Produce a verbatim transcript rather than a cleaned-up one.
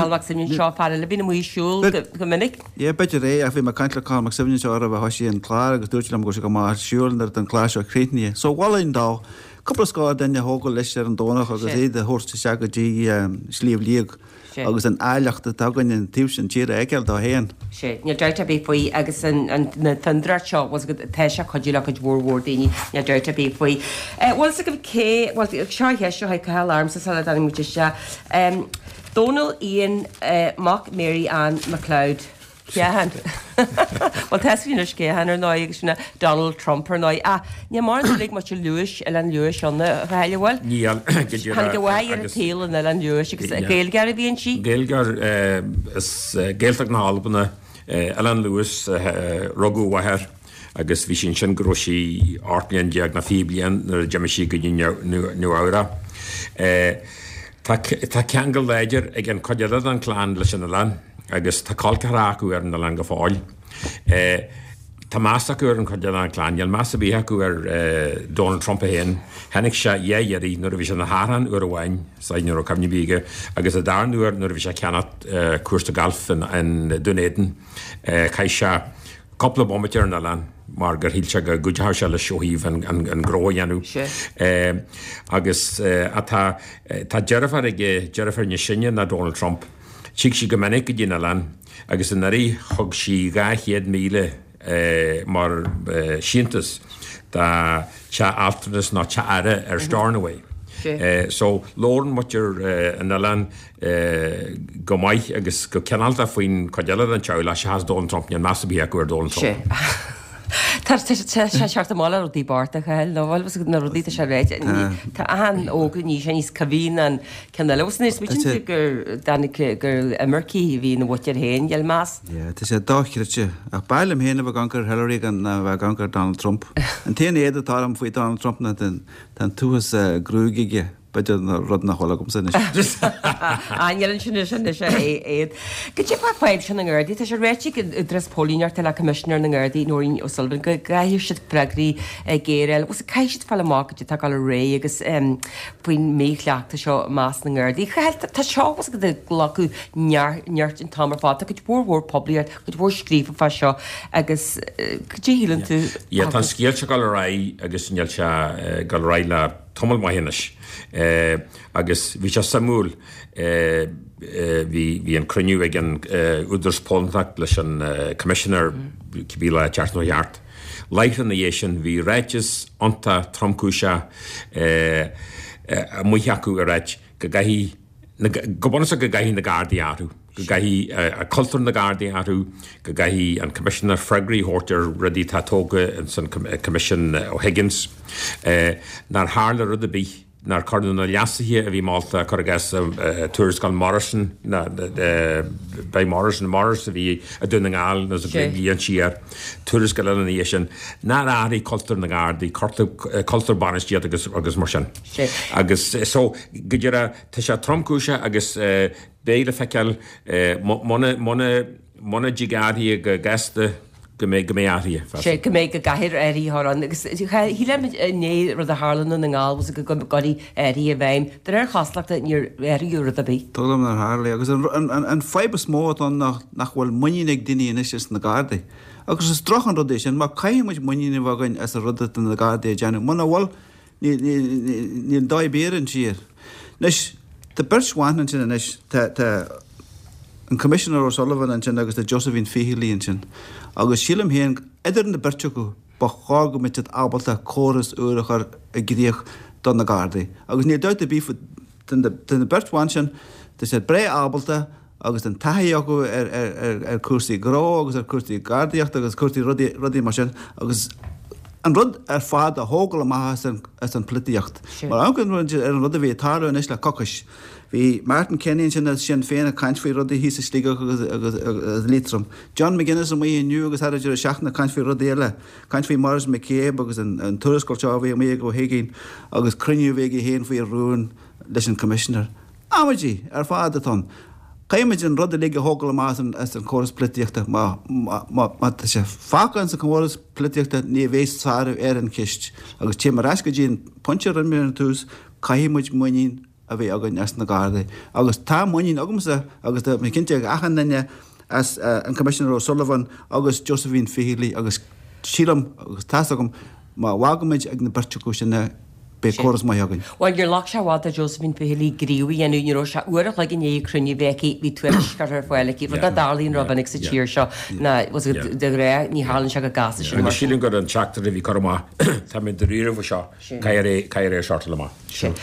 Cathal Mac Suibhne seo fear eile bíonn amuigh ag siúl go minic. Yeah, b'fhéidir é ach bhí mé ag caint le Cathal Mac Suibhne seo roimh a thosaigh an clár agus dúirt liom go raibh sé go maith ar siúl nuair atá an clár seo críochnaithe. So mholfainn dó cúpla scór duine a thógáil leis ar an Domhnach agus iad a thabhairt isteach go dtí Sliabh Liag agus an áilleacht atá againn an taobh sin tíre a fheiceáil dó féin. Sea, níl dabht ar bith faoi agus an na fondúireacht seo, bhfuil agat, tá sé ag cuidiú le cuid mhór mhór daoine, níl dabht ar bith faoi. Bhfuil 's agaibh cé, bhuel seo an cheist seo chuig Cathal ormsa sula dtáinig muid isteach. Donald Ian mac Mary Ann MacLeod. Cé hann? Bhuel tá 'fhios againn anois cé hann ar ndóigh agus sin é Donald Trump ar ndóigh. Ach níl mórán dúil ag muintir Lewis, Oileán Lewis ann, a Chathail, an bhfuil? Níl, go díreach. Tháinig a mháthair ar an tsaol in Oileán Lewis agus Gaeilgeoir a bhí inti. Gaeilgeoir as Gaeltacht na hAlban, Oileán Lewis, rugadh a mháthair agus bhí sí ansin go raibh sí ocht mbliana déag nó fiche bliain nuair a d'imigh sí go dtí Nua Eabhrac. Tá ceangal láidir ag an chuid eile den chlann leis an oileán agus tá col ceathracha acu ar an oileán go fóill. Tá meas acu ar an chuid eile den chlann. Níl meas ar bith acu ar Donald Trump é féin. Chonaic sé dhá iarraidh, nuair a bhí sé ina thachrán uair amháin, is ní raibh cuimhne ar bith aige, agus an darna huair nuair a bhí sé ag ceannacht cúrsa gailf in Dún Éideann. Chaith sé cúpla bomaite ar an oileán mar gur shíl sé go gcuideodh sé leis ó thaobh an gnó a dhéanamh. Agus tá tá deirfiúr aige, deirfiúr níos sine ná Donald Trump. Tig sí go minic go dtí an oileán agus anuraidh thug sí dhá chéad míle mar síntiús do teach altranais nó teach aire ar Stornoway. So labhrann muintir an oileáin go maith agus go cineálta faoin chuid eile den teaghlach seachas Donald Trump, níl meas ar bith acu ar Donald Trump. Tá sé seort amháin le rudaí bochta a Chathail, nó bhfuil fhios agat na rudaí tá sé ráite. Tá achan ógra níos sé níos cuimhní ná an ceann eile. Bhfuil fhios agat gur dtáinig gur imircigh a bhí ina mhuintir féin, níl meas. Yeah, tá sé dochreidte. Ach b'fhearr liom féin a bheith ag amharc ar Hillary ná a bheith ag amharc ar Donald Trump. An t-aon éad atá orm faoi Donald Trump ná Tá an t-uafás gruaig aige, b'fhéidir rud nach bhfuil agamsa anois. Á, níl ansin anois anois a éad. Cad é fá fadhb seo na nGardaí? Tá sé ráite ag an Údarás Póilíneachta le Coimisinéir na nGardaí, Nóirín O'Sullivan, go gcaithfidh siad freagraí géara a fháil. Bhuel, caithfidh siad fáil amach cad é atá ag dul ar aghaidh agus faoin mhíchleachtadh seo i measc na nGardaí. Tá seo ag glacadh nirt an t-am ar fad. Tá cuid mhór mhór poiblíocht, cuid mhór scríofa fá seo agus cad é a shíleann tú? Yeah, tá an scéal seo ag dul ar aghaidh agus níl sé ag dul ar aghaidh le tamall maith anois. Agus bhí sé suimiúil, bhí bhí an cruinniú ag an Údarás Póilíneachta leis an Commissioner cibé lá an tseachtain seo thart. Láithreach ina dhiaidh sin bhí ráiteas iontach tromchúiseach amuigh acu ag ráit go gcaithfidh go bunúsach go gcaithfidh na Gardaí athrú, go gcaithfidh cultúr na nGardaí athrú, go gcaithfidh an Coimisinéir freagraí a thabhairt ar rudaí atá tógtha ins an Coimisiún O'Higgins, nár tharla rud ar bith, nár cuireadh na leasuithe a bhí molta, cuir i gcás tuarascáil Morrison, by Morrison, Morris a bhí i Dún na nGall nó sa bhliain siar, tuarascáil eile ina dhiaidh sin, nár athraigh cultúr na nGardaí, cultúr bainistíochta agus mar sin. Agus so, go díreach, Tá sé tromchúiseach agus beidh le feiceáil muna, muna, muna dtig athruithe go gasta go mbeidh, go mbeidh athruithe feasta. Sea, go mbeidh, go gcaithfear athruithe a chur ann agus shíl muid inné rud a tharla i nDún na nGall was go gcuirfí athruithe i bhfeidhm. De réir chosúlachta níor athraíodh rud ar bith. Tuigim nár tharla agus an, an, an fadhb is mó atá ann ná nach bhfuil muinín ag daoine anois ins na Gardaí. Agus is droch an rud é sin mar caithfidh muid muinín a bheith againn as an rud atá na Gardaí ag déanamh. Muna bhfuil, Níl dóigh ar bith ar an tír. Anois, tá beirt bhan ansin anois, tá, tá an Commissioner O'Sullivan ansin agus tá Josephine Feehily ansin. Agus sílim féin, idir na beirt acu, ba chóir go mbeadh siad ábalta córas úr a chur i gcrích do na Gardaí. Agus níl dabht ar bith faoi, tá na beirt bhan sin, tá siad breá ábalta agus an taithí acu ar chúrsaí gnó agus ar chúrsaí gardaíochta agus cúrsaí rudaí, rudaí mar sin agus an rud ar fad a thógáil amach as an, as an pholaitíocht. Mar amharcann muid ar an rud a bhí ag tarlú anois le coicís. Bhí Martin Kenny ansin as Sinn Féin ag caint faoi rudaí thíos i Sligeach agus, agus, agus Liatroim. John McGuinness amuigh inniu agus thar an deireadh seachtaine ag caint faoi rudaí eile. Caint faoi Maurice McCabe agus an, an tuarascáil seo a bhí amuigh ag Ó hUiginn agus cruinniú a bhí aige féin faoi rún leis an Commissioner. Amaidí ar fad atá ann. Caithfidh muid an rud uilig a thógáil amach as an chóras polaitíochta. Má tá sé fágtha ins an chóras polaitíochta ní bheidh sárú ar an cheist. Agus téim ar ais go dtí an pointe a rinne mé ar an tús, caithfidh muid muinín a bheith againn as na Gardaí. Agus tá muinín agamsa agus tá mé cinnte ag achan duine as an Commissioner O'Sullivan agus Josephine Feehily agus sílim agus tá's agam má bhfágaimid ag na beirt acu sin é beidh córas maith againn. Bhuel, níor ghlac sé i bhfad do Josephine Feehily gníomh a dhéanamh, ní raibh sé uair a chloig i ndiaidh cruinniú a bheith aici, bhí tuairisc curtha ar fáil aici, rud nach dtarlaíonn rómhinic sa tír seo, ná de ghnáth ní tharlaíonn sé chomh gasta sin. Agus sílim gur an teachtaire a bhí curtha amach, tá mé dáiríre faoi seo, caithfear é a shortáil amach. Sin.